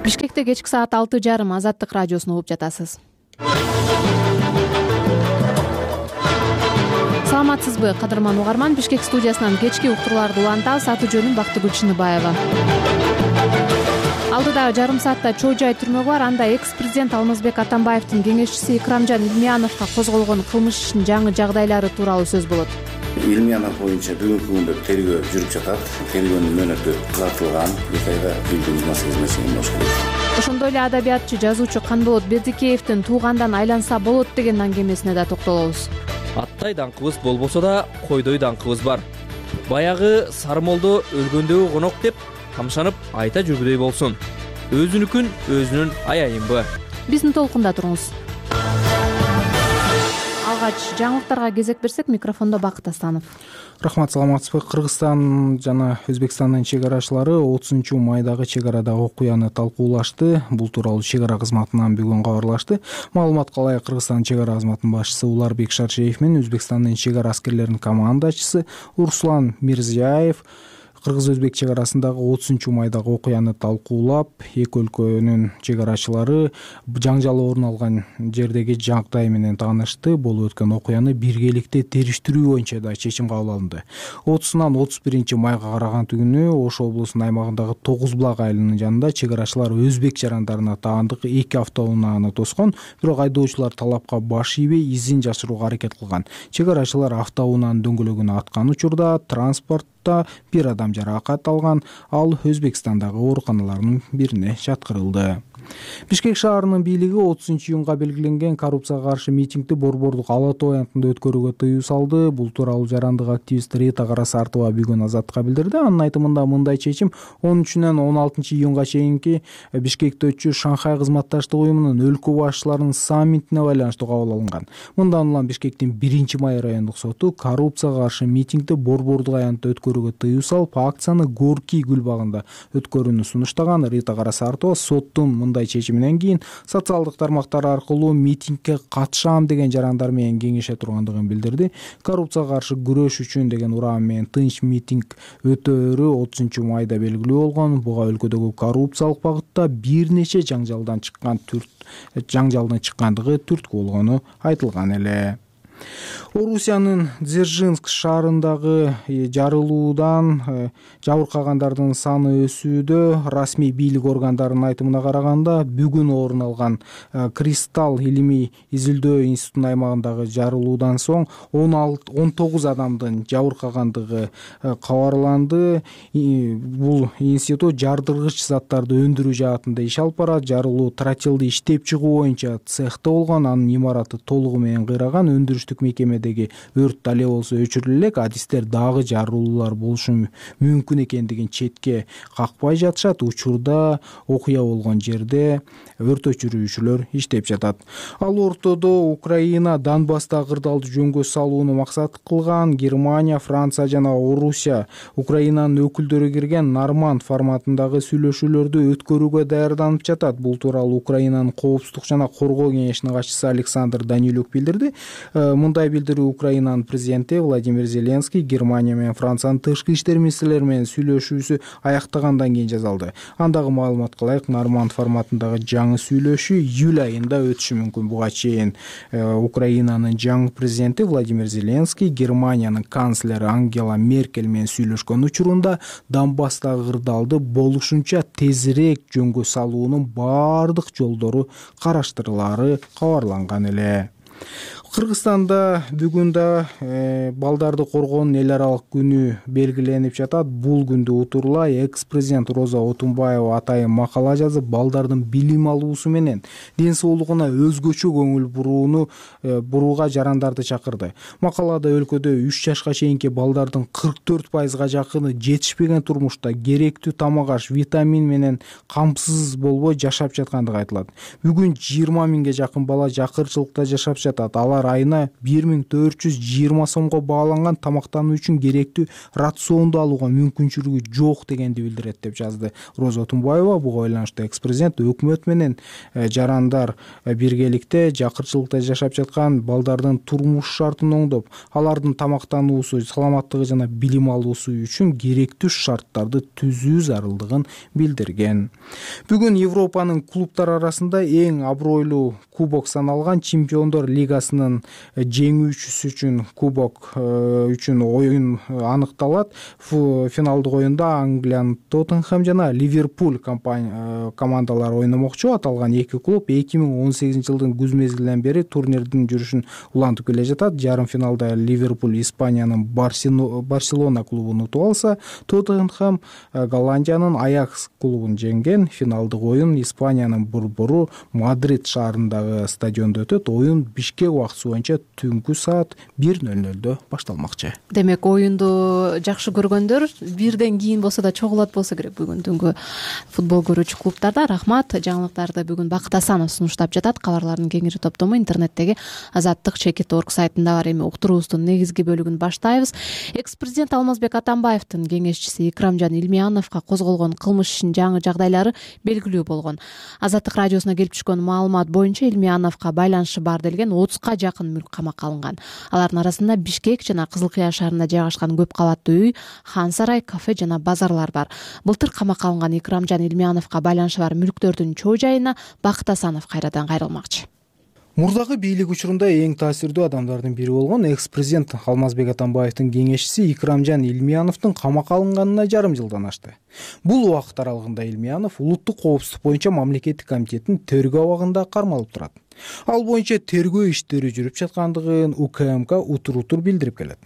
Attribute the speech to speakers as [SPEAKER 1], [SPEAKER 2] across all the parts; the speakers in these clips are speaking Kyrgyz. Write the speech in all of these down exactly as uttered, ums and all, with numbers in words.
[SPEAKER 1] Бишкекте кечки саат алты жарым Азаттык радиосун угуп жатасыз. Саламатсызбы, кадырман угарман? Бишкек студиясынан кечки уктурууларды улантабыз. Аты жөнүм Бактыгүл Чыныбаева. Алдыда жарым саатта чоо жай түрмөгү бар. Анда экс-президент Алмазбек Атамбаевдин кеңешчиси Икрамжан Илмияновго козголгон кылмыш ишинин жаңы жагдайлары тууралуу сөз болот.
[SPEAKER 2] Илмиянов боюнча бүгүнкү күндө тергөө жүрүп жатат. Тергөөнүн мөөнөтү узартылган. эки айга билдирүүбүз маселеси болуш керек.
[SPEAKER 1] Ошондой эле адабиятчы, жазуучу Канболот Бердикеевдин туугандан айланса болот деген аңгемесине да токтолобуз.
[SPEAKER 3] Аттай даңкыбыз болбосо да койдой даңкыбыз бар. Баягы Сарымолдо өлгөндөгү конок деп камшанып айта жүргүдөй болсун. Өзүнүкүн өзүнүн аяйынбы? Биздин толкунда туруңуз. Алгач жаңылыктарга кезек берсек, микрофондо Бакыт Астанов.
[SPEAKER 4] Рахмат, саламатсызбы? Кыргызстан жана Өзбекстандын чек арачылары отузунчу майдагы чек арадагы окуяны талкуулашты. Бул тууралуу чек ара кызматынан бүгүн кабарлашты. Маалыматка ылайык, Кыргызстандын чек ара кызматынын башчысы Уларбек Шаршеев менен Өзбекстандын чек ара аскерлеринин командачысы Урслан Мирзияев кыргыз-өзбек чек арасындагы отузунчу майдагы окуяны талкуулап, эки өлкөнүн чек арачылары жаңжал орун алган жердеги жагдай менен таанышты. Болуп өткөн окуяны биргеликте териштирүү боюнча да чечим кабыл алынды. отузунан отуз биринчи майга караган күнү Ош облусунун аймагындагы Тогуз Булак айылынын жанында чек арачылар өзбек жарандарына таандык эки автоунааны тоскон, бирок айдоочулар талапка баш ийбей изин жашырууга аракет кылган. Чек арачылар автоунаанын дөңгөлөгүн аткан учурда транспорт бир адам жаракат алган, ал Өзбекстандагы ооруканалардын бирине жаткырылды. Бишкек шаарынын бийлиги отузунчу июнга белгиленген коррупцияга каршы митингди Борбордук Ала Тоо аянтында өткөрүүгө тыюу салды. Бул тууралуу жарандык активист Рита Карасартова бүгүн Азаттыкка билдирди. Анын айтымында мындай чечим он үчүнөн он алтынчы июнга чейинки Бишкекте өтчү Шанхай кызматташтык уюмунун өлкө башчыларынын саммитине байланыштуу кабыл алынган. Мындан улам Бишкектин биринчи май райондук соту коррупцияга каршы митингди Борбордук аянтта өткөрүүгө тыюу салып, акцияны Горький гүл багында өткөрүүнү сунуштаган. Рита Карасартова соттун мындай чечиминен кийин социалдык тармактар аркылуу митингге катышам деген жарандар менен кеңеше тургандыгын билдирди. Коррупцияга каршы күрөш үчүн деген ураан менен тынч митинг өтөөрү отузунчу майда белгилүү болгон. Буга өлкөдөгү коррупциялык багытта бир нече жаңжалдан чыккан түрт жаңжалдын чыккандыгы түрткү болгону айтылган эле. Орусиянын Дзержинск шаарындагы жарылуудан жабыркагандардын саны өсүүдө. Расмий бийлик органдарынын айтымына караганда, бүгүн орун алган Кристалл илимий изилдөө институтунун аймагындагы жарылуудан соң он тогуз адамдын жабыркагандыгы кабарланды. Бул институт жардыргыч заттарды өндүрүү жаатында иш алып барат. Жарылуу тротилди иштеп чыгуу боюнча цехте болгон. Анын имараты толугу менен кыйраган. Өндүрүштүк мекемедеги өрт дале болсо өчүрүлө элек. Адистер дагы жарылуулар болушу мүмкүн экендигин четке какпай жатышат. Учурда окуя болгон жерде өрт өчүрүүчүлөр иштеп жатат. Ал ортодо Украина Донбасста кырдаалды жөнгө салууну максат кылган. Германия, Франция жана Орусия Украинанын өкүлдөрү кирген Норманд форматындагы сүйлөшүүлөрдү өткөрүүгө даярданып жатат. Бул тууралуу Украинанын коопсуздук жана коргоо кеңешинин катчысы Александр Данилюк билдирди. Мындай билдирүү Украинанын президенти Владимир Зеленский Германия менен Франциянын тышкы иштер министрлери менен сүйлөшүүсү аяктагандан кийин жасалды. Андагы маалыматка ылайык, Норманд форматындагы жаңы сүйлөшүү июль айында өтүшү мүмкүн. Буга чейин Украинанын жаңы президенти Владимир Зеленский Германиянын канцлери Ангела Меркель менен сүйлөшкөн учурунда Донбасстагы кырдаалды болушунча тезирээк жөнгө салуунун бардык жолдору караштырылаары кабарланган эле. Кыргызстанда бүгүн да э, балдарды коргоонун эл аралык күнү белгиленип жатат. Бул күндү утурлай экс-президент Роза Отунбаева атайын макала жазып, балдардын билим алуусу менен ден соолугуна өзгөчө көңүл бурууну э, бурууга жарандарды чакырды. Макалада өлкөдө үч жашка чейинки балдардын кырк төрт пайызга жакыны жетишпеген турмушта керектүү тамак аш, витамин менен камсыз болбой жашап жаткандыгы айтылат. Бүгүн жыйырма миңге жакын бала жакырчылыкта жашап жатат. Алар айына бир миң төрт жүз жыйырма сомго бааланган тамактануу үчүн керектүү рационду алууга мүмкүнчүлүгү жок дегенди билдирет деп жазды Роза Тумбаева. Буга байланыштуу экс-президент өкмөт менен жарандар биргеликте жакырчылыкта жашап жаткан балдардын турмуш шартын оңдоп, алардын тамактануусу, саламаттыгы жана билим алуусу үчүн керектүү шарттарды түзүү зарылдыгын билдирген. Бүгүн Европанын клубтар арасында эң абройлуу кубок саналган Чемпиондор лигасынын жеңүүчүсү үчүн кубок үчүн оюн аныкталат. Финалдык оюнда Англиянын Тоттенхэм жана Ливерпуль командалары ойномокчу. Аталган эки клуб эки миң он сегизинчи жылдын күз мезгилинен бери турнирдин жүрүшүн улантып келе жатат. Жарым финалда Ливерпуль Испаниянын Барселона клубун утуп алса, Тоттенхэм Голландиянын Аякс клубун жеңген. Финалдык оюн Испаниянын борбору Мадрид шаарындагы стадиондо өтөт. Оюн Бишкек убактысы боюнча түнкү саат бир нөл нөлдө башталмакчы.
[SPEAKER 1] Демек, оюнду жакшы көргөндөр бирден кийин болсо да чогулат болсо керек бүгүн түнгү футбол көрүүчү клубтарда. Рахмат. Жаңылыктарды бүгүн Бакыт Асанов сунуштап жатат. Кабарлардын кеңири топтому интернеттеги азаттык чекит орг сайтында бар. Эми уктуруубуздун негизги бөлүгүн баштайбыз. Экс-президент Алмазбек Атамбаевдин кеңешчиси Икрамжан Илмияновго козголгон кылмыш ишинин жаңы жагдайлары белгилүү болгон. Азаттык радиосуна келип түшкөн маалымат боюнча Илмияновго байланышы бар делген отузга жакын мүлк камакка алынган. Алардын арасында Бишкек жана Кызыл Кыя шаарында жайгашкан көп кабаттуу үй, хан сарай, кафе жана базарлар бар. Былтыр камакка алынган Икрамжан Илмияновго байланышы бар мүлктөрдүн чоо жайына Бакыт Асанов кайрадан кайрылмакчы.
[SPEAKER 4] Мурдагы бийлик учурунда эң таасирдүү адамдардын бири болгон экс-президент Алмазбек Атамбаевдин кеңешчиси Икрамжан Илмияновдун камакка алынганына жарым жылдан ашты. Бул убакыт аралыгында Илмиянов улуттук коопсуздук боюнча мамлекеттик комитеттин тергөө абагында кармалып турат. Ал боюнча тергөө иштери жүрүп жаткандыгын УКМК утур-утур билдирип келет.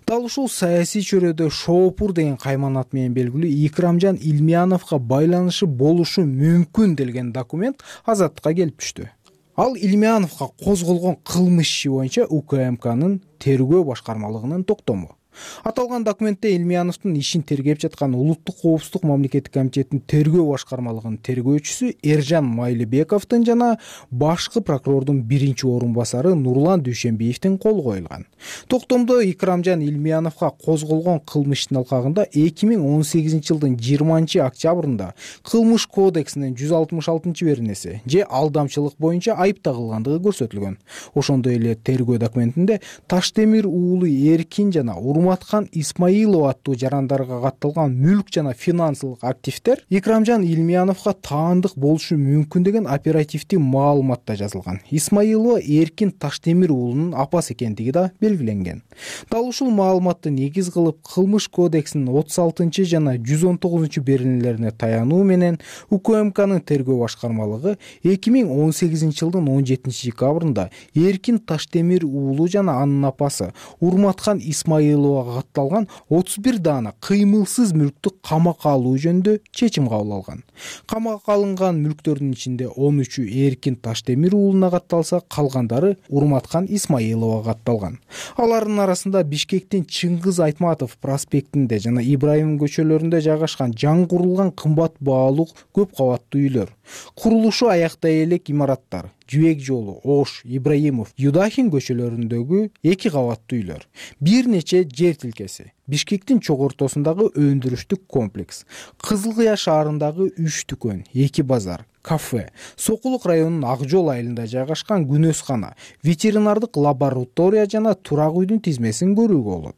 [SPEAKER 4] Дал ушул саясий чөйрөдө Шоопур деген кайман ат менен белгилүү Икрамжан Илмияновго байланышы болушу мүмкүн делген документ Азаттыкка келип түштү. Ал Илмияновго козголгон кылмыш иши боюнча УКМКнын тергөө башкармалыгынын токтому. Аталган документте Илмияновдун ишин тергеп жаткан улуттук коопсуздук мамлекеттик комитеттин тергөө башкармалыгынын тергөөчүсү Эржан Майлыбековдун жана башкы прокурордун биринчи орун басары Нурлан Дүйшөнбиевдин колу коюлган. Токтомдо Икрамжан Илмияновго козголгон кылмыштын алкагында эки миң он сегизинчи жылдын жыйырманчы октябрында кылмыш кодексинин жүз алтымыш алтынчы беренеси же алдамчылык боюнча айып тагылгандыгы көрсөтүлгөн. Ошондой эле тергөө документинде Таштемир уулу Эркин жана Урматкан Исмаилов аттуу жарандарга катталган мүлк жана финансылык активдер Икрамжан Илмияновго таандык болушу мүмкүн деген оперативдик маалыматта жазылган. Исмаилова Эркин Таштемир уулунун апасы экендиги да белгиленген. Дал ушул маалыматты негиз кылып кылмыш кодексинин отуз алтынчы жана жүз он тогузунчу беренелерине таянуу менен УКМКнын тергөө башкармалыгы эки миң он сегизинчи жылдын он жетинчи декабрында Эркин Таштемир уулу жана анын апасы Урматкан Исмаилова катталган отуз бир даана кыймылсыз мүлктү камакка алуу жөнүндө чечим кабыл алган. Камакка алынган мүлктөрдүн ичинде он үчү Эркин Таштемир уулуна катталса, калгандары Урматкан Исмаиловага катталган. Алардын арасында Бишкектин Чыңгыз Айтматов проспектинде жана Ибраим көчөлөрүндө жайгашкан жаңы курулган кымбат баалуу көп кабаттуу үйлөр, курулушу аяктай элек имараттар, Жүбек жолу, Ош, Ибраимов, Юдахин көчөлөрүндөгү эки кабаттуу үйлөр, бир нече жер тилкеси, Бишкектин чок ортосундагы өндүрүштүк комплекс, Кызыл Кыя шаарындагы үч дүкөн, эки базар, кафе, Сокулук районунун Ак жол айылында жайгашкан күнөзкана, ветеринардык лаборатория жана турак үйдүн тизмесин көрүүгө болот.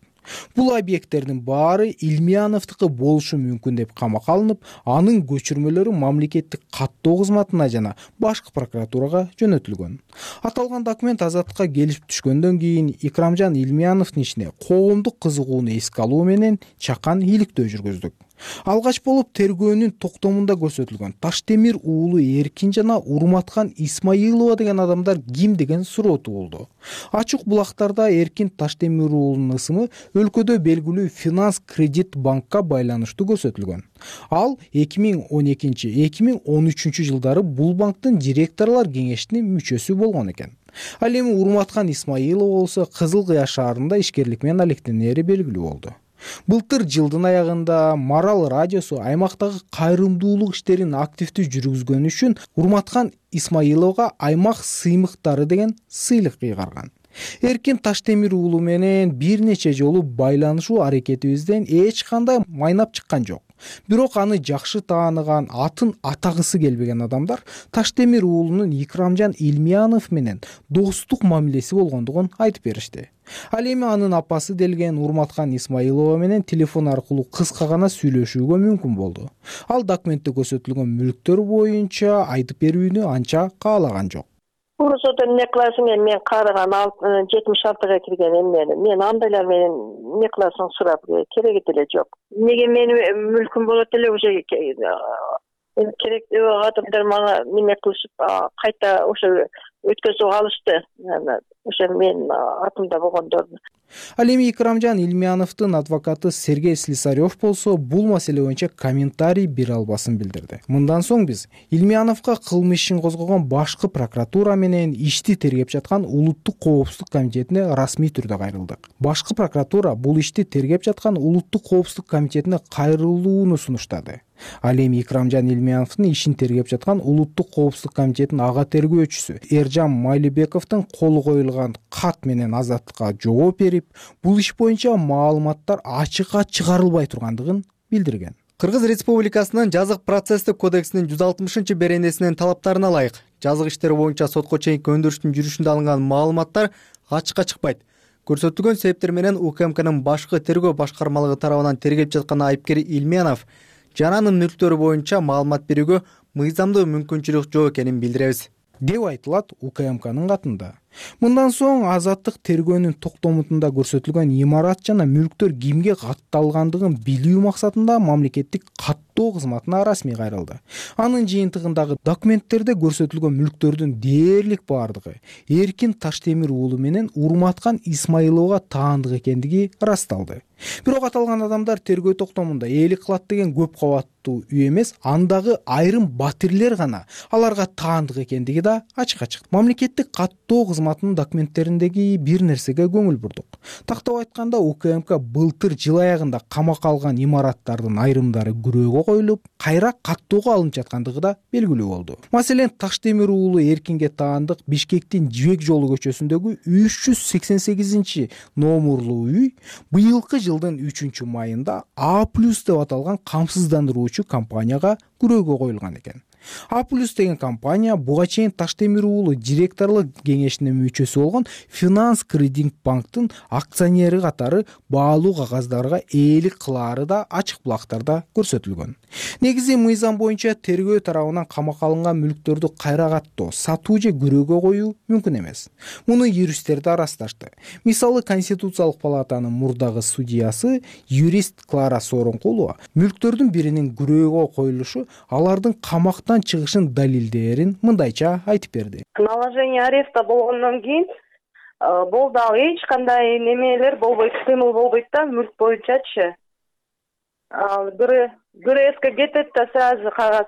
[SPEAKER 4] Бул объекттердин баары Илмияновдуку болушу мүмкүн деп камакка алынып, анын көчүрмөлөрү мамлекеттик каттоо кызматына жана башкы прокуратурага жөнөтүлгөн. Аталган документ Азаттыкка келип түшкөндөн кийин Икрамжан Илмияновдун ишине коомдук кызыгууну эске алуу менен чакан иликтөө жүргүздүк. Алгач болуп тергөөнүн токтомунда көрсөтүлгөн Таштемир уулу Эркин жана Урматкан Исмаилова деген адамдар ким деген суроо туулду. Ачык булактарда Эркин Таштемир уулунун ысымы өлкөдө белгилүү Финанс Кредит банкка байланыштуу көрсөтүлгөн. Ал эки миң он экинчи — эки миң он үчүнчү жылдары бул банктын директорлор кеңешинин мүчөсү болгон экен. Ал эми Урматкан Исмаилова болсо Кызыл Кыя шаарында ишкерлик менен алектенери белгилүү болду. Былтыр жылдын аягында Марал радиосу аймактагы кайрымдуулук иштерин активдүү жүргүзгөнү үчүн Урматкан Исмаиловго аймак сыймыктары деген сыйлык кыйгарган. Эркин Таштемир уулу менен бир нече жолу байланышуу аракетибизден эч кандай майнап чыккан жок. Бирок аны жакшы тааныган, атын атагысы келбеген адамдар Таштемир уулунун Икрамжан Илмиянов менен достук мамилеси болгондугун айтып беришти. Ал эми анын апасы делген Урматкан Исмаилова менен телефон аркылуу кыска гана сүйлөшүүгө мүмкүн болду. Ал документте көрсөтүлгөн мүлктөр боюнча айтып берүүнү анча каалаган жок.
[SPEAKER 5] Урусода эмне кыласың, мен карыган жетимиш алтыга кирген эмнени. Мен андайлар менен эмне кыласың сурап кереги деле жок. Эмнеге менин мүлкүм болот эле уже керектүү адамдар мага неме кылышып кайта ошо өткөзүп алышты. Ошо мен атымда болгондорду.
[SPEAKER 4] Ал эми Икрамжан Илмияновдун адвокаты Сергей Слесарев болсо бул маселе боюнча комментарий бере албасын билдирди. Мындан соң биз Илмияновго кылмыш ишин козгогон башкы прокуратура менен ишти тергеп жаткан Улуттук коопсуздук комитетине расмий түрдө кайрылдык. Башкы прокуратура бул ишти тергеп жаткан Улуттук коопсуздук комитетине кайрылууну сунуштады. Ал эми Икрамжан Илмияновдун ишин тергеп жаткан Улуттук коопсуздук комитетинин ага тергөөчүсү Эржан Майлыбековдун колу коюлган кат менен Азаттыкка жооп берип, бул иш боюнча маалыматтар ачыкка чыгарылбай тургандыгын билдирген.
[SPEAKER 6] Кыргыз Республикасынын жазык процесстик кодексинин жүз алтымышынчы беренесинин талаптарына ылайык жазык иштери боюнча сотко чейинки өндүрүштүн жүрүшүндө алынган маалыматтар ачыкка чыкпайт. Көрсөтүлгөн себептер менен УКМКнын башкы тергөө башкармалыгы тарабынан тергеп жаткан айыпкер Илмиянов жана анын мүлктөрү боюнча маалымат берүүгө мыйзамдуу мүмкүнчүлүк жок экенин билдиребиз,
[SPEAKER 4] деп айтылат УКМКнын катында. Мындан соң Азаттык тергөөнүн токтомутунда көрсөтүлгөн имарат жана мүлктөр кимге катталгандыгын билүү максатында мамлекеттик каттоо кызматына расмий кайрылды. Анын жыйынтыгындагы документтерде көрсөтүлгөн мүлктөрдүн дээрлик бардыгы Эркин Таштемир уулу менен Урматкан Исмаиловго таандык экендиги ырасталды. Бирок аталган адамдар тергөө токтомунда ээлик кылат деген көп кабаттуу үй эмес, андагы айрым батирлер гана аларга таандык экендиги да ачыкка чыкты. Мамлекеттик каттоо кызматынын документтериндеги бир нерсеге көңүл бурдук. Тактап айтканда, УКМК былтыр жыл аягында камакка алган имараттардын айрымдары күрөөгө коюлуп, кайра каттоого алынып жаткандыгы да белгилүү болду. Маселен, Таштемир уулу Эркинге таандык Бишкектин Жибек жолу көчөсүндөгү үч жүз сексен сегизинчи номурлуу үй быйылкы жылдын үчүнчү майында А плюс деп аталган камсыздандыруучу компанияга күрөөгө коюлган экен. А плюс деген компания буга чейин Таштемир уулу директорлук кеңешинин мүчөсү болгон Финанс Кредит банктын акционери катары баалуу кагаздарга ээлик кылаары да ачык булактарда көрсөтүлгөн. Негизи мыйзам боюнча тергөө тарабынан камакка алынган мүлктөрдү кайра каттоо, сатуу же күрөөгө коюу мүмкүн эмес. Муну юристтер да ырасташты. Мисалы, Конституциялык палатанын мурдагы судьясы юрист Клара Сооронкулова мүлктөрдүн биринин күрөөгө коюлушу алардын камактан чыгышын далилдээрин мындайча айтып берди.
[SPEAKER 5] Наложение ареста болгондон кийин болду, ал эч кандай немелер болбойт, кыймыл болбойт да мүлк боюнчачы. Ал ГРСке кетет да сразу кагаз.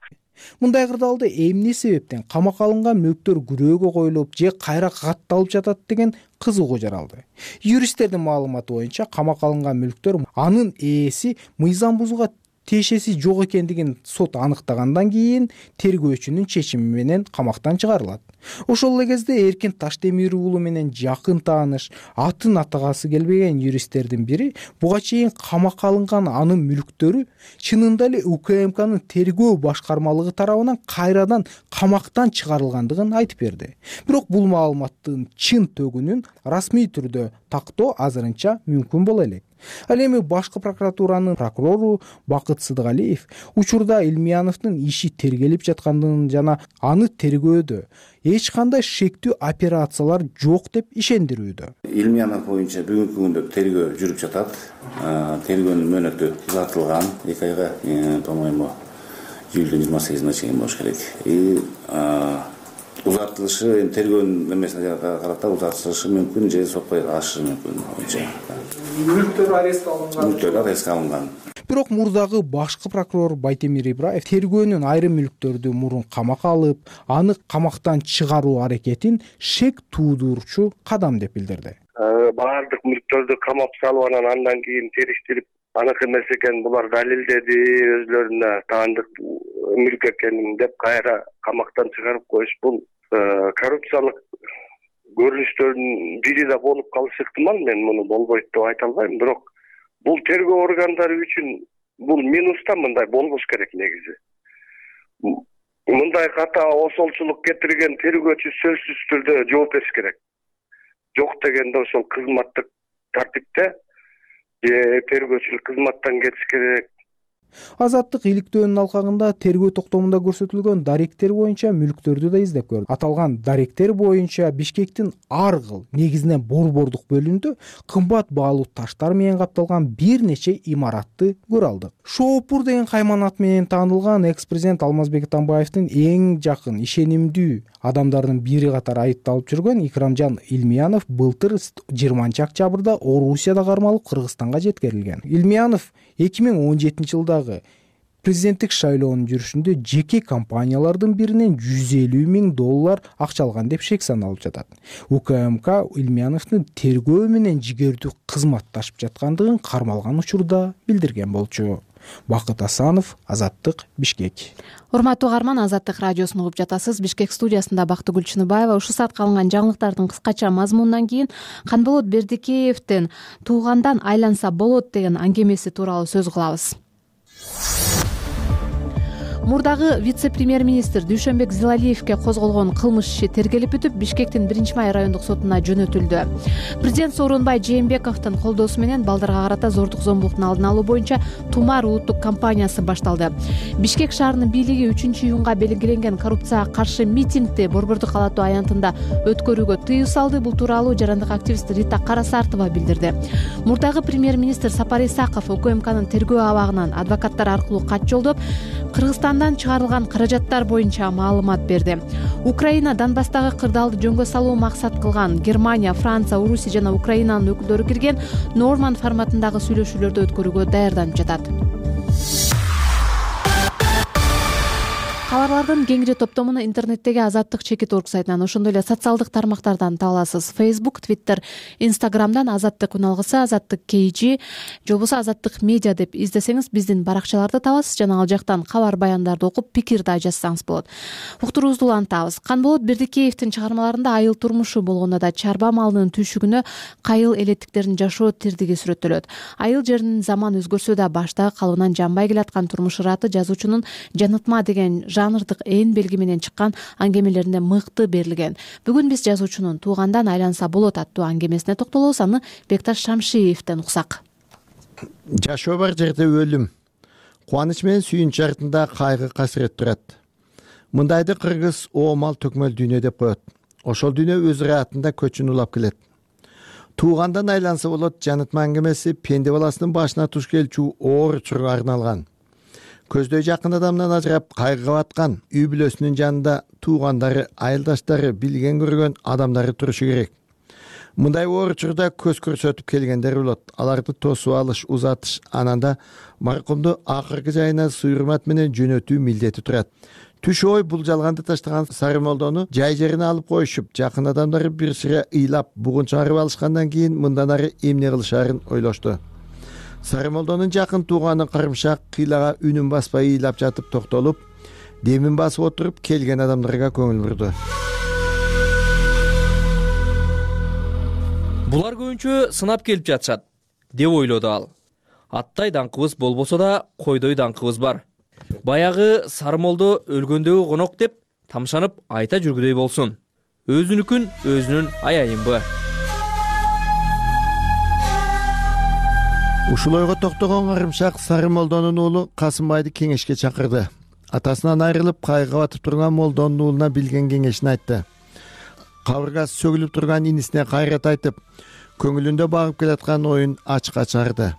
[SPEAKER 4] Мындай кырдаалда эмне себептен камакка алынган мүлктөр күрөөгө коюлуп же кайра катталып жатат деген кызыгуу жаралды. Юристтердин маалыматы боюнча камакка алынган мүлктөр анын ээси мыйзам бузууга тиешеси жок экендигин сот аныктагандан кийин тергөөчүнүн чечими менен камактан чыгарылат. Ошол эле кезде Эркин Таштемир уулу менен жакын тааныш, атын атагасы келбеген юристтердин бири буга чейин камакка алынган анын мүлктөрү чынында эле УКМКнын тергөө башкармалыгы тарабынан кайрадан камактан чыгарылгандыгын айтып берди. Бирок бул маалыматтын чын төгүнүн расмий түрдө тактоо азырынча мүмкүн боло элек. Ал эми башкы прокуратуранын прокурору Бакыт Сыдыгалиев учурда Илмияновдун иши тергелип жаткандыгын жана аны тергөөдө эч кандай шектүү операциялар жок деп ишендирүүдө.
[SPEAKER 2] Илмиянов боюнча бүгүнкү күндө тергөө жүрүп жатат. Тергөөнүн мөөнөтү узартылган, эки айга, по-моему, июлдун жыйырма сегизине чейин болуш керек. И узартылышы эми тергөөнүн эмесине карата узартылышы мүмкүн же сотко ашышы мүмкүн боюнча.
[SPEAKER 4] Мүлктөр арест алынган.
[SPEAKER 2] Мүлктөр арест алынган.
[SPEAKER 4] Бирок мурдагы башкы прокурор Байтемир Ибраев тергөөнүн айрым мүлктөрдү мурун камакка алып, аны камактан чыгаруу аракетин шек туудурчу кадам деп билдирди.
[SPEAKER 7] Баардык мүлктөрдү камап салып анан андан кийин териштирип аныкы эмес экен, булар далилдеди, өзлөрүнө таандык мүлк экенин деп кайра камактан чыгарып коюш, бул коррупциялык көрүнүштөрдүн бири да болуп калышы ыктымал. Мен муну болбойт деп айта албайм, бирок бул тергөө органдары үчүн бул минус да, мындай болбош керек негизи. Мындай ката осолчулук кетирген тергөөчү сөзсүз түрдө жооп бериш керек. Жок дегенде ошол кызматтык тартипте тергөөчүлүк кызматтан кетиш керек.
[SPEAKER 4] Азаттык иликтөөнүн алкагында тергөө токтомунда көрсөтүлгөн даректер боюнча мүлктөрдү да издеп көрдү. Аталган даректер боюнча Бишкектин ар кыл, негизинен борбордук бөлүмүндө кымбат баалуу таштар менен капталган бир нече имаратты көрө алдык. Шоопур деген кайманат менен таанылган экс-президент Алмазбек Атамбаевдин эң жакын, ишенимдүү адамдардын бири катары айыпталып жүргөн Икрамжан Илмиянов былтыр жыйырманчы октябрда Орусияда кармалып Кыргызстанга жеткирилген. Илмиянов эки миң он жетинчи жылдагы президенттик шайлоонун жүрүшүндө жеке компаниялардын биринен жүз элүү миң доллар акча алган деп шек саналып жатат. УКМК Илмияновдун тергөө менен жигердүү кызматташып жаткандыгын кармалган учурда билдирген болчу. Бакыт Асанов, Азаттык, Бишкек.
[SPEAKER 1] Урматтуу угарман, Азаттык радиосун угуп жатасыз. Бишкек студиясында Бактыгүл Чыныбаева. Ушул саатка алынган жаңылыктардын кыскача мазмунунан кийин Канболот Бердикеевдин туугандан айланса болот деген аңгемеси тууралуу сөз кылабыз. Мурдагы вице-премьер-министр Дүйшөнбек Зилалиевге козголгон кылмыш иши тергелип бүтүп, Бишкектин биринчи май райондук сотуна жөнөтүлдү. Президент Сооронбай Жээнбековдун колдоосу менен балдарга карата зордук зомбулуктун алдын алуу боюнча Тумар улуттук кампаниясы башталды. Бишкек шаарынын бийлиги үчүнчү июнга белгиленген коррупцияга каршы митингди Борбордук калаттуу аянтында өткөрүүгө тыюу салды. Бул тууралуу жарандык активист Рита Карасартова билдирди. Мурдагы премьер-министр Сапар Исаков УКМКнын тергөө абагынан адвокаттар аркылуу кат жолдоп, Кыргызстандан чыгарылган каражаттар боюнча маалымат берди. Украина Донбасстагы кырдаалды жөнгө салуу максат кылган Германия, Франция, Орусия жана Украинанын өкүлдөрү кирген Норман форматындагы сүйлөшүүлөрдү өткөрүүгө даярданып жатат. Кабарлардын кеңири топтомуну интернеттеги Азаттык чекит орг сайтынан, ошондой эле социалдык тармактардан таба аласыз. Facebook, Twitter, Instagramдан Азаттык уналгысы, Азаттык кей жи же болбосо Азаттык медиа деп издесеңиз биздин баракчаларды табасыз жана ал жактан кабар баяндарды окуп пикир да жазсаңыз болот. Уктуруубузду улантабыз. Канболот Бердикеевдин чыгармаларында айыл турмушу болгондо да чарба малынын түйшүгүнө кайыл элеттиктердин жашоо тирдиги сүрөттөлөт. Айыл жеринин заман өзгөрсө да баштагы калыбынан жанбай келаткан турмуш ыраты жазуучунун Жанытма деген жанрдык эн белги менен чыккан аңгемелеринде мыкты берилген. Бүгүн биз жазуучунун Туугандан айланса болот аттуу аңгемесине токтолобуз. Аны Бекташ Шамшиевден уксак.
[SPEAKER 8] Жашоо бар жерде өлүм, кубаныч менен сүйүнч артында кайгы касырет турат. Мындайды кыргыз оомал төкмөл дүйнө деп коет. Ошол дүйнө өз ыраатында көчүн улап келет. Туугандан айланса болот жанытма аңгемеси пенде баласынын башына туш келчү оор учурга арналган. Көздөй жакын адамдан ажырап кайгыга баткан үй бүлөсүнүн жанында туугандары, айылдаштары, билген көргөн адамдары турушу керек. Мындай оор учурда көз көрсөтүп келгендер болот. Аларды тосуп алыш, узатыш, ананда маркумду акыркы жайына суйрмат менен жөнөтүү милдети турат. Түш ой бул жалганды таштаган Сарымолдону жай жерине алып коюшуп, жакын адамдары бир сыра ыйлап, бугун чыгарып алышкандан кийин мындан ары эмне кылышаарын ойлошту. Сарымолдонун жакын тууганы Карымшак кыйлага үнүн баспай ыйлап жатып токтолуп, демин басып отуруп келген адамдарга көңүл бурду.
[SPEAKER 3] Булар көбүнчө сынап келип жатышат деп ойлоду ал. Аттай даңкыбыз болбосо да койдой даңкыбыз бар. Баягы Сарымолдо өлгөндөгү конок деп тамшанып айта жүргүдөй болсун. Өзүнүкүн өзүнүн аяйынбы.
[SPEAKER 8] Ушул ойго токтогон Карымшак Сарымолдонун уулу Касымбайды кеңешке чакырды. Атасынан айрылып кайгыга батып турган молдонун уулуна билген кеңешин айтты. Кабыргасы сөгүлүп турган инисине кайрат айтып, көңүлүндө багып келаткан оюн ачыкка чыгарды.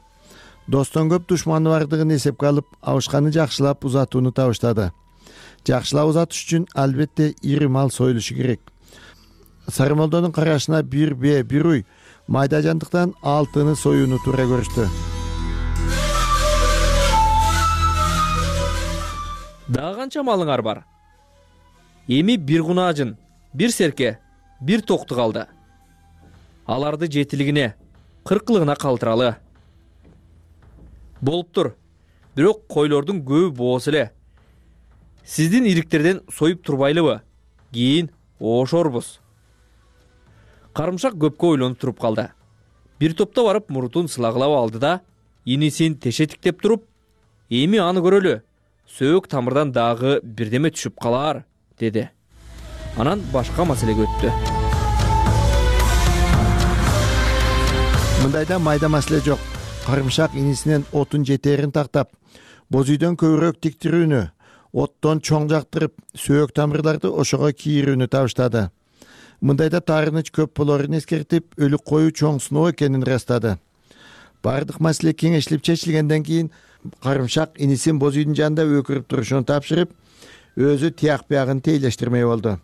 [SPEAKER 8] Достон көп душманы бардыгын эсепке алып, абышканы жакшылап узатууну табыштады. Жакшылап узатыш үчүн албетте ири мал союлушу керек. Сарымолдонун карашына бир бе, бир уй майда жандыктан алтыны союуну туура көрүштү.
[SPEAKER 3] Дагы канча малыңар бар? Эми бир кунаажын, бир серке, бир токту калды. Аларды жетилигине, кыркылыгына калтыралы. Болуптур. Бирок койлордун көбү боос эле. Сиздин ириктерден союп турбайлыбы? Кийин ошорбуз. Карымшак көпкө ойлонуп туруп калды. Бир топто барып мурутун сылагылап алды да, инисин тешетиктеп туруп, эми аны көрөлү. Сөөк тамырдан дагы бирдеме түшүп калар, деди. Анан башка маселеге өттү.
[SPEAKER 8] Мындайда майда маселе жок. Карымшак инисинен отун жетерин тактап, боз үйдөн көбүрөөк тиктирүүнү, оттон чоң жактырып, сөөк тамырларды ошого кийирүүнү табыштады. Мындайда таарыныч көп болорун эскертип, өлүк кою чоң сыноо экенин ырастады. Бардык маселе кеңешилип чечилгенден кийин карымшак инисин боз үйдүн жанында өкүрүп турушун тапшырып, өзү тияк биягын тейлештирмей болду.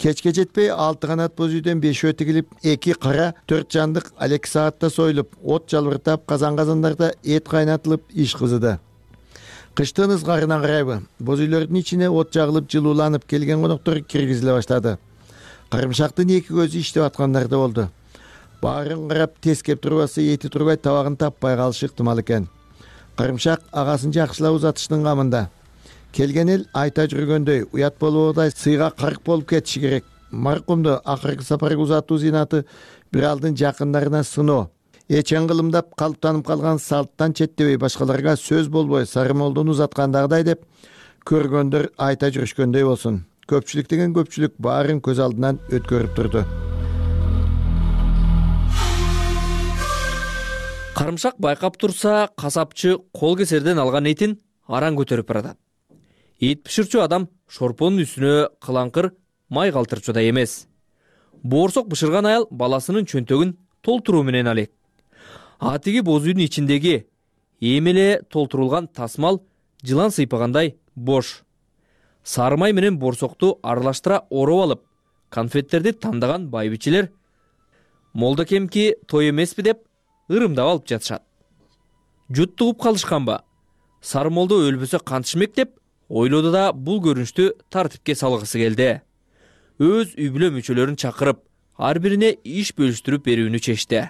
[SPEAKER 8] Кечке жетпей алты канат боз үйдөн бешөө тигилип, эки кара төрт жандык алеки саатта союлуп, от жалбыртап, казан-казандарда эт кайнатылып, иш кызыды. Кыштын ызгарына карайбы, боз үйлөрдүн ичине от жагылып, жылууланып келген коноктор киргизиле баштады. Карымшактын эки көзү иштеп аткандар да болду. Баарын карап, тескеп турбасы эти турбай табагын таппай калышы ыктымал экен. Карымшак агасын жакшылап узатыштын камында. Келген эл айта жүргөндөй, уят болобудай сыйга карк болуп кетиши керек. Маркумду акыркы сапарга узатуу зинаты бир алдын жакындарына сыноо. Эчен кылымдап калыптанып калган салттан четтебей башкаларга сөз болбой Сарымолдону узаткандагыдай деп көргөндөр айта жүрүшкөндөй болсун. Көпчүлүк деген көпчүлүк баарын көз алдынан өткөрүп турду.
[SPEAKER 3] Карымшак байкап турса, касапчы кол кесерден алган этин аран көтөрүп баратат. Эт пиширчү адам шорпонун үстүнө кылаңкыр май калтырчудай эмес. Боорсок бышырган аял баласынын чөнтөгүн толтуруу менен алек. Атиги боз үйдүн ичиндеги эмеле толтурулган тасмал жылан сыйпагандай бош. Сары май менен боорсокту аралаштыра ороп алып, конфеттерди тандаган байбичелер молдокемки той эмеспи деп ырымдап алып жатышат. Жуттугуп калышканбы? Сарымолдо өлбөсө кантишмек деп ойлоду да бул көрүнүштү тартипке салгысы келди. Өз үй бүлө мүчөлөрүн чакырып, ар бирине иш бөлүштүрүп берүүнү чечти.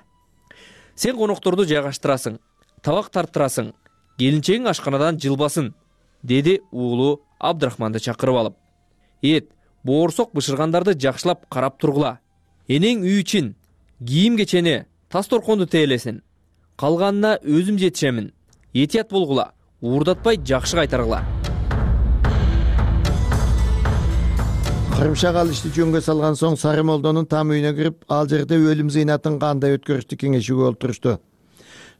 [SPEAKER 3] Сен конокторду жайгаштырасың, табак тарттырасың, келинчегиң ашканадан жылбасын, деди уулу Абдрахманды чакырып алып. Эт, боорсок бышыргандарды жакшылап карап тургула. Энең үй ичин, кийим кечени, тас торконду теелесин. Калганына өзүм жетишемин. Этият болгула, уурдатпай жакшы кайтаргыла.
[SPEAKER 8] Карымшак ал ишти жөнгө салган соң Сарымолдонун там үйүнө кирип, ал жерде өлүм зыйнатын кандай өткөрүштү кеңешүүгө олтурушту.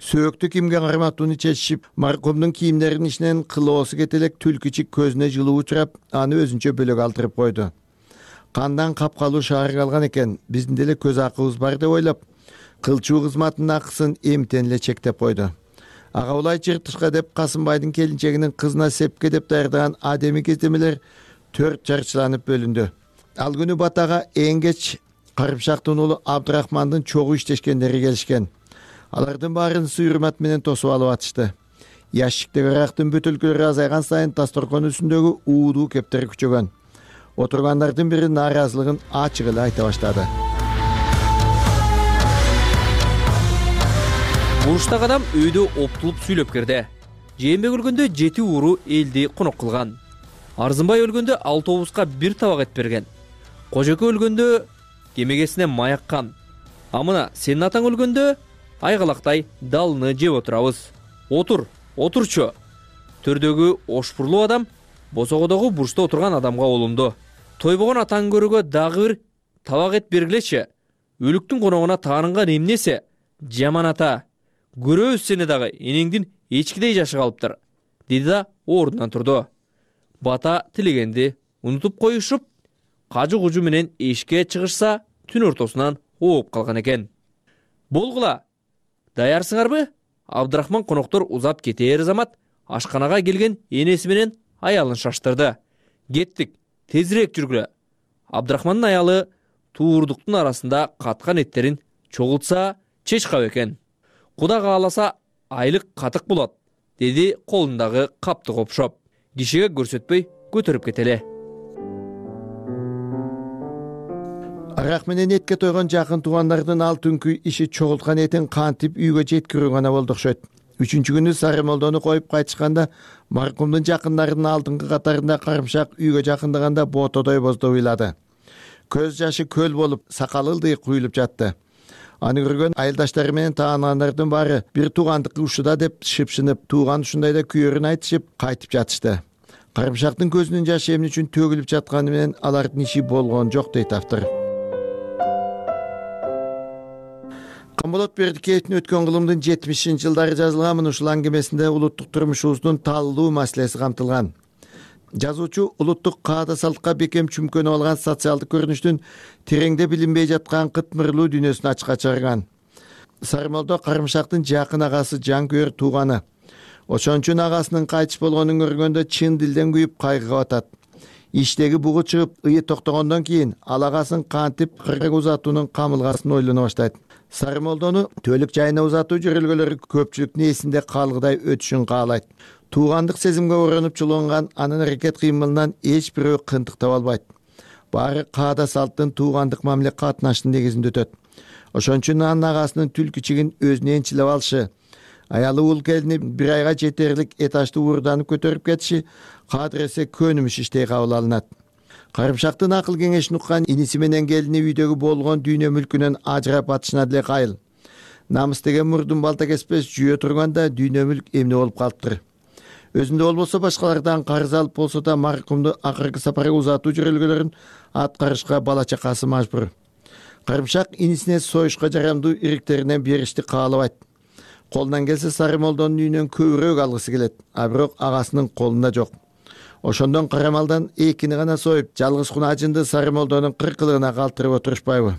[SPEAKER 8] Сөөктү кимге карматууну чечишип, маркумдун кийимдеринин ичинен кылоосу кетелек түлкүчүк көзүнө жылуу учурап, аны өзүнчө бөлөк алдырып койду. Кандан капкалуу шаар калган экен, биздин деле көз акыбыз бар деп ойлоп, кылчуу кызматынын акысын эмтен эле чектеп койду. Ага улай чыртышка деп Касымбайдын келинчегинин кызына сепке деп даярдаган адеми кездемелер төрт жарчыланып бөлүндү. Ал күнү батага эң кеч Карымшактын уулу Абдрахмандын чогуу иштешкендери келишкен. Алардын баарын сый-урмат менен тосуп алып атышты. Ящиктеги арактын бөтөлкөлөрү азайган сайын тасторкон үстүндөгү уудуу кептер күчөгөн. Отургандардын бири нааразылыгын ачык эле айта баштады.
[SPEAKER 3] Буруштагы адам өйдө оптулуп сүйлөп кирди. Жээнбек өлгөндө жети ууру элди конок кылган. Арзымбай өлгөндө алтобузга бир табак эт берген. Кожоке өлгөндө кемегесине маяккан. А мына сенин атаң өлгөндө айгалактай далыны жеп отурабыз. Отур, отурчу. Төрдөгү ошпурлуу адам босогодогу бурчта отурган адамга олунду. Тойбогон атаң көрүүгө дагы бир табак эт бергилечи. Өлүктүн коногуна таанынган эмнесе? Жаман ата. Көрөбүз сени дагы, энеңдин эчкидей жашы калыптыр, деди да ордунан турду. Бата тилегенди унутуп коюшуп, кажы-кужу менен эшикке чыгышса, түн ортосунан ооп калган экен. Болгула, даярсыңарбы? Абдрахман коноктор узап кетээр замат ашканага келген энеси менен аялын шаштырды. Кеттик, тезирээк жүргүлө. Абдрахмандын аялы туурдуктун арасында каткан эттерин чогултса чечкап экен. Куда кааласа айлык катык болот, деди колундагы капты копшоп. Кишиге көрсөтпөй көтөрүп кетеле.
[SPEAKER 8] Арак менен этке тойгон жакын туугандардын ал түнкү иши чогулткан этин кантип үйгө жеткирүү гана болду окшойт. үчүнчү күнү Сарымолдону коюп кайтышканда маркумдун жакындарынын алдыңкы катарында Карымшак үйгө жакындаганда ботодой боздоп ыйлады. Көз жашы көл болуп, сакалы ылдый куюлуп жатты. Аны көргөн айылдаштары менен таанандардын баары бир туугандыкы ушуда деп шыпшынып, тууган ушундайда күйөрүн айтышып кайтып жатышты. Карымшактын көзүнүн жашы эмне үчүн төгүлүп жатканы менен алардын иши болгон жок дейт автор. Камболот Бердикеевдин өткөн кылымдын жетимишинчи жылдары жазылган ушул аңгемесинде улуттук турмушубуздун таалуу маселеси камтылган. Жазуучу улуттук каада салтка бекем чүмкөнүп алган социалдык көрүнүштүн тереңде билинбей жаткан кытмырлуу дүйнөсүн ачыкка чыгарган. Сарымолдо Карымшактын жакын агасы, жанкүйөр тууганы. Ошон үчүн агасынын кайтыш болгонун көргөндө чын дилден күйүп кайгыга батат. Иштеги бугу чыгып, ые токтогондон кийин ал агасын кантип кыргы узатуунун камылгасын ойлоно баштайт. Сарымолдону төлөк жайына узатуу жөрөлгөлөрү көпчүлүктүн эсинде калгыдай өтүшүн каалайт. Туугандык сезимге оронуп чулунган анын аракет кыймылынан эч бирөө кынтык таба албайт. Баары каада салттын туугандык мамиле катнашынын негизинде өтөт. Ошон үчүн анын агасынын түлкүчигин өзүнө энчилеп алышы, аялы ул келини бир айга жетерлик этажды уурданып көтөрүп кетиши кадыресе көнүмүш иштей кабыл алынат. Карымшактын акыл кеңешин уккан иниси менен келини үйдөгү болгон дүйнө мүлкүнөн ажырап атышына деле кайыл. Намыс деген мурдун балта кеспес жүйө турганда дүйнө мүлк эмне болуп калыптыр. Өзүндө болбосо башкалардан карыз алып болсо да маркумду акыркы сапарга узатуу жөрөлгөлөрүн аткарышка бала чакасы мажбур. Карымшак инисине союшка жарамдуу ириктеринен беришти каалабайт. Колунан келсе Сарымолдонун үйүнөн көбүрөөк алгысы келет, а бирок агасынын колунда жок. Ошондон карамалдан экини гана союп, жалгыз кунажынды Сарымолдонун кыркылыгына калтырып отурушпайбы?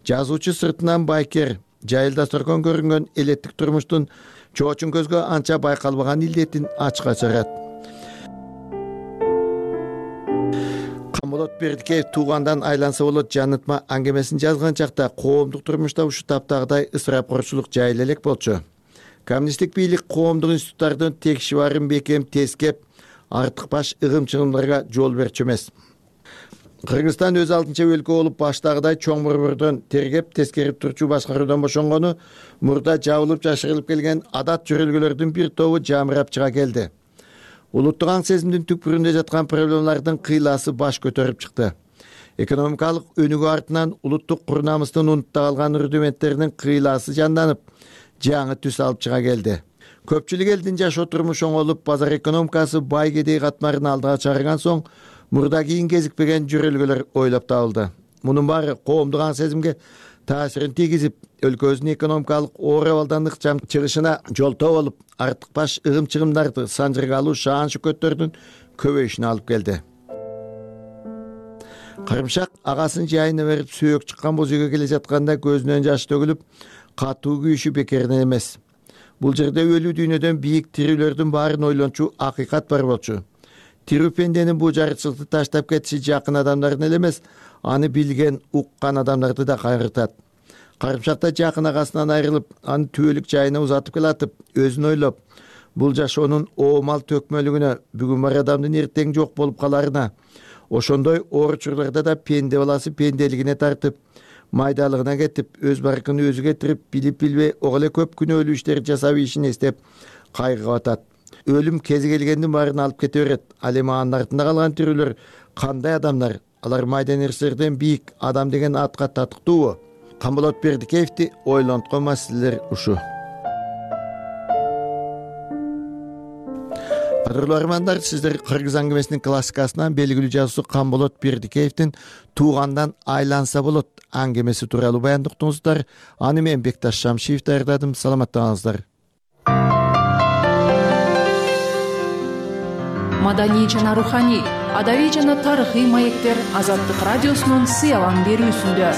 [SPEAKER 8] Жазуучу сыртынан байкер, жайылда соркон көрүнгөн элеттик турмуштун чоочун көзгө анча байкалбаган илдетин ачыкка чыгарат. Камболот Бердикеев туугандан айланса болот жанытма аңгемесин жазган чакта коомдук турмушта ушу таптагыдай ысырапкорчулук жайыла элек болчу. Коммунисттик бийлик коомдук институттардын текши барын бекем тескеп, артык баш ыгым-чыгымдарга жол берчү эмес. Кыргызстан өз алдынча өлкө болуп баштагыдай чоң борбордон тергеп, тескерип турчу башкаруудан бошонгону мурда жабылып жашырылып келген адат жөрөлгөлөрдүн бир тобу жамырап чыга келди. Улуттук аң сезимдин түкпүрүндө жаткан проблемалардын кыйласы баш көтөрүп чыкты. Экономикалык өнүгүү артынан улуттук кур намыстын унутта калган рудименттеринин кыйласы жанданып, жаңы түс алып чыга келди. Көпчүлүк элдин жашоо турмушу оңолуп, базар экономикасы бай кедей катмарын алдыга чыгарган соң, мурда кийин кезикпеген жөрөлгөлөр ойлоп табылды. Мунун баары коомдук аң сезимге таасирин тийгизип, өлкөбүздүн экономикалык оор абалдан ыкчам чыгышына жолтоо болуп, артык баш ыгым-чыгымдарды санжыргалуу шаан шөкөттөрдүн көбөйүшүнө алып келди. Карымшак агасынын жайына берип сөөк чыккан боз үйгө келе жатканда көзүнөн жаш төгүлүп, катуу күйүшү бекеринен эмес. Бул жерде өлүү дүйнөдөн бийик тирүүлөрдүн баарын ойлончу акыйкат бар болчу. Тирүү пенденин бул жарычылыкты таштап кетиши жакын адамдарын эле эмес, аны билген, уккан адамдарды да кайгыртат. Карымшакта жакын агасынан айрылып, аны түбөлүк жайына узатып келатып, өзүн ойлоп, бул жашоонун оомал төкмөлүгүнө, бүгүн бар адамдын эртең жок болуп каларына, ошондой оор учурларда да пенде баласы пенделигине тартып, майдалыгына кетип, өз баркын өзү кетирип, билип билбей ого эле көп күнөөлүү иштерди жасап ийишин эстеп кайгыга батат. Өлүм кези келгендин баарын алып кете берет. Ал эми анын артында калган тирүүлөр кандай адамдар? Алар майда нерселерден бийик адам деген атка татыктуубу? Камболот Бердикеевди ойлонткон маселелер ушу. Кадырлуу армандар, сиздер кыргыз аңгемесинин классикасынан белгилүү жазуучу Камболот Бердикеевдин туугандан айланса болот аңгемеси тууралуу баяндыктыңыздар. Аны мен Бекташ Шамшиев даярдадым. Саламаттаңыздар.
[SPEAKER 9] Маданий жана руханий, адабий жана тарыхый маектер Азаттык радиосунун сыялан берүүсүндө.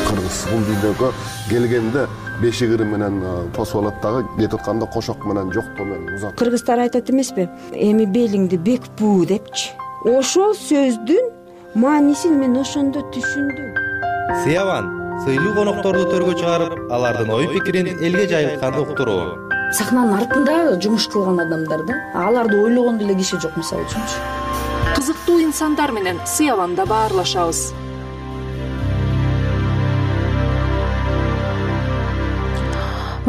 [SPEAKER 10] Кыргыз бул дүйнөгө келгенде беши кырым менен тосуп алат дагы, кетип атканда кошок менен жоктоо менен узат.
[SPEAKER 11] Кыргыздар айтат эмеспи? Эми белиңди бек буу депчи. Ошол сөздүн маанисин мен ошондо түшүндүм.
[SPEAKER 12] Сыялан сыйлуу конокторду төргө чыгарып, алардын ой пикирин элге жайылтканды уктуруу.
[SPEAKER 13] Сахнанын артында жумуш кылган адамдар да, аларды ойлогон деле киши жок мисалы үчүнчү.
[SPEAKER 9] Кызыктуу инсандар менен сыяланда баарлашабыз.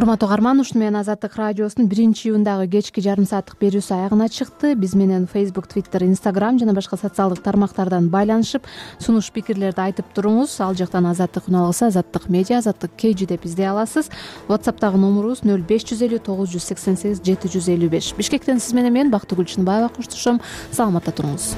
[SPEAKER 1] урматтуу угарман, ушуну менен Азаттык радиосунун биринчи июндагы кечки жарым сааттык берүүсү аягына чыкты. Биз менен Facebook, Twitter, Instagram жана башка социалдык тармактардан байланышып, сунуш пикирлерди айтып туруңуз. Ал жактан Азаттык үн алгысы, Азаттык медиа, Азаттык кей жи деп издей аласыз. WhatsApp'тагы номурубуз нөл беш жүз элүү тогуз жүз сексен сегиз жети жүз элүү беш. Бишкектен сиз менен мен Бактыгүл Чынбаева коштошом. Саламатта туруңуз.